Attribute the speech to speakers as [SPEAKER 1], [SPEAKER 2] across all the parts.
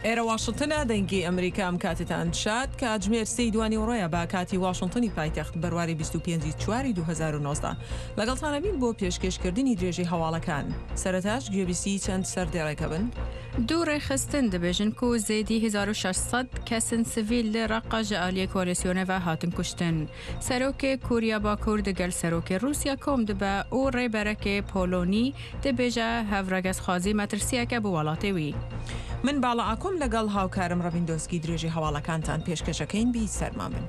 [SPEAKER 1] ئێرە واشنتنە، دەنگی ئەمریکا ئەم کاتتان شاد، کاتژمێر سێی دوانیوەڕۆیە بە کاتی واشنتنی پایتەخت، بەرواری 25 ی چواری 2019. لەگەڵتانەبین بۆ پێشکێشکردنی درێژەی هەواڵەکان. سەرەتاش گوێبیستی چەند سەردێڕێکە بن.
[SPEAKER 2] دوو ڕێکخستن دبێژن کو زێدی 1600 کەسن سڤیل لە ڕەققە ژە ئالیێ کۆالێسیۆنێ ڤە هاتن کوشتن. سەرۆکێ کۆریا باکوور دگەل سەرۆکێ ڕووسیا کۆم دبە و ڕێبەرەکێ پۆلۆنی دبێژە هەڤڕەگەزخوازی مەترسیەکە بۆ وەڵاتێ وی.
[SPEAKER 1] من باڵا ئاکۆم لەگەڵ هاوکارم ڕەڤین دۆسکی درێژەی هەواڵەکانتان پێشکەشەکەین بی سەرمان بن.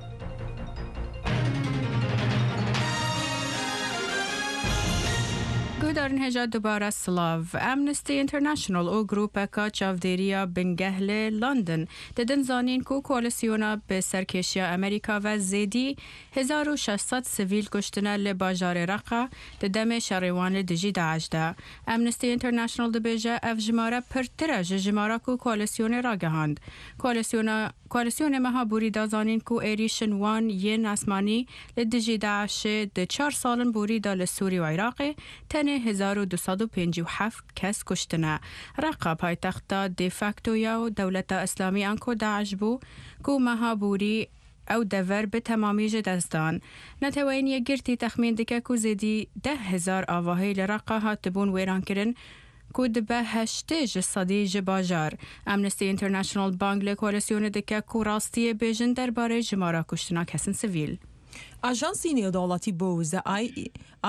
[SPEAKER 2] گوهدارن هێژا دوبارە سڵاڤ. ئەمنستی ئینتەرناشناڵ و گروپەکا چاڤدێرییا بنگەه لە لەندەن ددن زانین کو کۆالسیۆنا بە سەرکێشیا ئەمریکا ڤە زێدی 1600 سڤیل کوشتنە لە باژارێ ڕەقە د دەمێ شەڕێ وان لە دژی داعش دە. ئەمنستی ئینتەرناشناڵ دبێژە ئەڤ ژمارە پرترە ژ ژمارا کو کۆالسیۆنێ ڕاگەهاند. کۆالسیۆنا کۆالسیۆنێ مەها بوری دا زانین کو ئێریشن وان yên ئاسمانی لە دژی داعشێ د چار ساڵن بوری دا لە سوری و عیراقێ تەنێ 1257 کەس کوشتنە. ڕەقە پایتەختا دێفاکتۆیا و دەولەتا ئیسلامی ئانکۆ داعش بوو کو مەها بوری ئەو دەڤەر bi temamî ji dest dan. Neteweyên Yekgirtî texmîn dike ku zêdî 10,000 avahî li Reqa hatibûn wêrankirin ku dibe 80 ji sedî ji bajar. Amnesty International bang li koalîsyonê dike ku rastiyê bêjin derbarê jimara kuştina kesên sivîl.
[SPEAKER 1] ئاژانسی نێودەوڵەتی بۆ وزە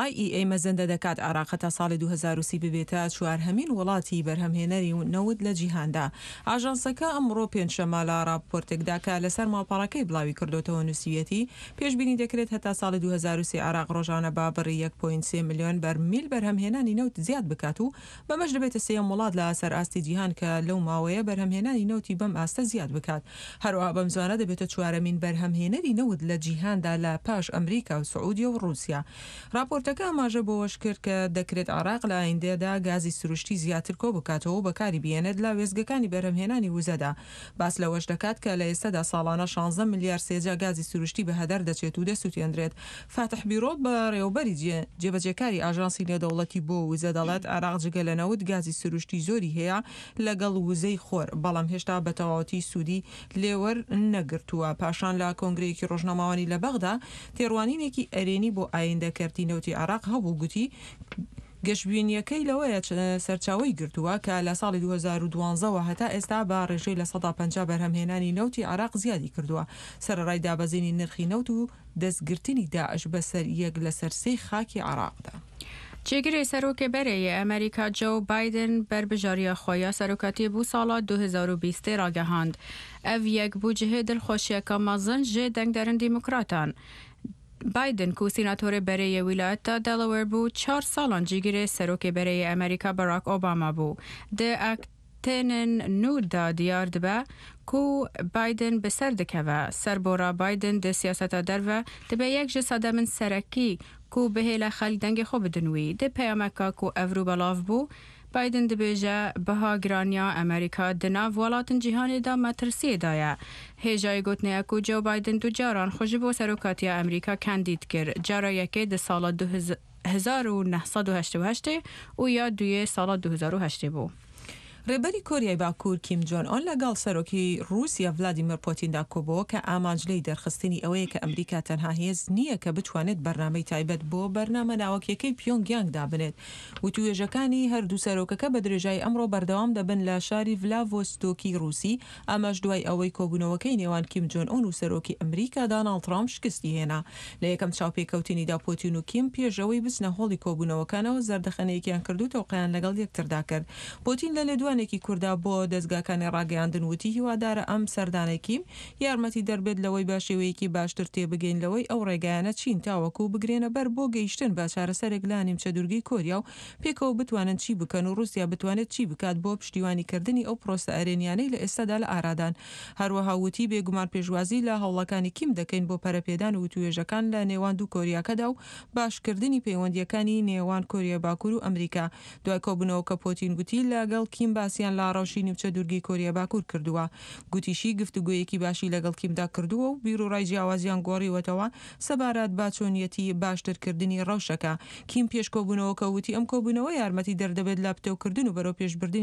[SPEAKER 1] IEA مەزەندە دەکات عێراق هەتا ساڵی 2030 ببێتە چوارهەمین وڵاتی بەرهەمهێنەری نەوت لە جیهاندا. ئاژانسەکە ئەمڕۆ پێنجشەممە لە ڕاپۆرتێکدا کە لەسەر ماڵپەڕەکەی بڵاویکردۆتەوە نووسیویەتی، پێشبینی دەکرێت هەتا ساڵی 2030 عێراق ڕۆژانە بە بڕی یەک پۆینت سێ ملیۆن بەرمیل بەرهەمهێنانی نەوت زیاد بکات و بەمەش دەبێتە سێیەم وڵات لە سەر ئاستی جیهان کە لەو ماوەیە بەرهەمهێنانی نەوتی بەم ئاستە زیاد بکات. هەروەها بەمزوانە دەبێتە چوارەمین بەرهەمهێنەری نەوت لە جیهاندا لە پاش ئەمریکا و سعودیە و ڕووسیا. ڕاپۆرتەکە ئاماژە بەوەش کرد کە دەکرێت عێراق لە ئایندەدا گازی سروشتی زیاتر کۆبکاتەوە و بەکاری بهێنێت لە وێستگەکانی بەرهەمهێنانی وزەدا. باس لەوەش دەکات کە لە ئێستەدا ساڵانە 16 ملیار سێجا گازی سروشتی بە هەدەر دەچێت و دەسوتێندرێت. فاتح بیرۆڵ بەڕێوەبەری جێبەجێکاری ئاژانسی نێودەوڵەتی بۆ وزە دەڵێت عێراق جگە لە نەوت گازی سروشتی زۆری هەیە لەگەڵ وزەی خۆر، بەڵام هێشتا بە تەواوەتی سوودی لێوەرنەگرتووە. پاشان لە کۆنگرەیەکی ڕۆژنامەوانی لە بەغدا تێڕوانینێکی ئەرێنی بۆ ئایندە کەرتی نەوتی عێراق هەبوو گوتی گەشبینییەکەی لەوەیە سەرچاوەی گرتووە کە لە ساڵی 2012 وە هەتا ئێستا بە ڕێژەی 50% بەرهەمهێنانی نەوتی عێراق زیادی کردووە سەرەڕای دابەزینی نرخی نەوت و دەستگرتنی داعش بەسەر یەک لەسەر سێی خاکی عێراقدا.
[SPEAKER 2] جێگرێ سەرۆکێ بەرێ یێ ئەمریکا جۆو بایدن بەربژارییا خوە یا سەرۆکاتیێ بو ساڵا 2020 ێ ڕاگەهاند. ئەڤ یەک بو جهێ دڵخوەشیەکا مەزن ژێ دەنگدەرن دیموکراتان. بایدن کو سیناتۆرێ بەرێ یێ ویلایەتا دەلەوەر بو، چار ساڵان جیگرێ سەرۆکێ بەرێ یێ ئەمریکا باراک ئۆباما بو. د ئەکتێنن نوو دا دیار دبە کو بایدن bi ser dikeve. Serbora Biden di siyaseta derve dibe yek ji sedemên serekî ku bihêle xelk dengê xwe bidin wî. Di peyameka ku evrû belav bû, Biden dibêje biha giraniya Amerîka di nav welatên cîhanê de metirsiyê de ye. Hêjayê gotinê ye ku Joe Biden du caran xwe ji bo serokatiya Amerîka kandîd kir, cara yekê di sala 1988 û ya duyê sala 2008 bû.
[SPEAKER 1] ڕێبەری کۆریای باکوور کیم جۆن ئۆن لەگەڵ سەرۆکی ڕووسیا ڤلادیمێر پۆتیندا کۆبۆوە کە ئامانج لێی دەرخستنی ئەوەیە کە ئەمریکا تەنها هێز نییە کە بتوانێت بەرنامەی تایبەت بۆ بەرنامە ناوەکیەکەی پیۆنگ یانگ دابنێت. وتووێژەکانی هەردوو سەرۆکەکە بە درێژایی ئەمڕۆ بەردەوام دەبن لە شاری ڤلاڤۆستۆکی ڕووسی، ئەمەش دوای ئەوەی کۆبوونەوەکەی نێوان کیم جۆن ئۆن و سەرۆکی ئەمریکا داناڵد ترامپ شکستی هێنا. لە یەکەم چاوپێکەوتنیدا پۆتین و کیم پێش ئەوەی بچنە هۆڵی کۆبوونەوەکانەوە زەردەخەنەیەکیان کرد و تەوقەیان لەگەڵ یەکتردا کرد. پۆتین لە لێدوانێکی کورتدا بۆ دەزگاکانی ڕاگەیاندن وتی هیوادارە ئەم سەردانەی کیم یارمەتیدەر بێت لەوەی بە شێوەیەکی باشتر تێبگەین لەوەی ئەو ڕێگایانە چین تاوەکو بگرێنە بەر بۆ گەیشتن بە چارەسەرێک لە نیمچەدوورگەی کۆریا و پێکەوە بتوانن چی بکەن و ڕووسیا بتوانێت چی بکات بۆ پشتیوانی کردنی ئەو پرۆسە ئەرێنیانەی لە ئێستادا لە ئارادان. هەروەها وتی بێگومان پێشوازی لە هەوڵەکانی کیم دەکەین بۆ پەرەپێدان و وتووێژەکان لە نێوان دوو کۆریاکەدا و باشکردنی پەیوەندییەکانی نێوان کۆریای باکوور و ئەمریکا. دوای کۆبوونەوەکە پۆتین گوتی لەگەڵ کیم باسیان لە ڕەوشی نیمچە دوورگەی کۆریای باکوور کردووە. گوتیشی گفتوگۆیەکی باشی لەگەڵ کیمدا کردووە و بیروڕای جیاوازیان گۆڕیوەتەوە سەبارەت بە چۆنیەتی باشترکردنی ڕەوشەکە. کیم پێش کۆبوونەوەکە وتی ئەم کۆبوونەوە یارمەتیدەر دەبێت لە پتەوکردن و بەرەوپێشبردنی.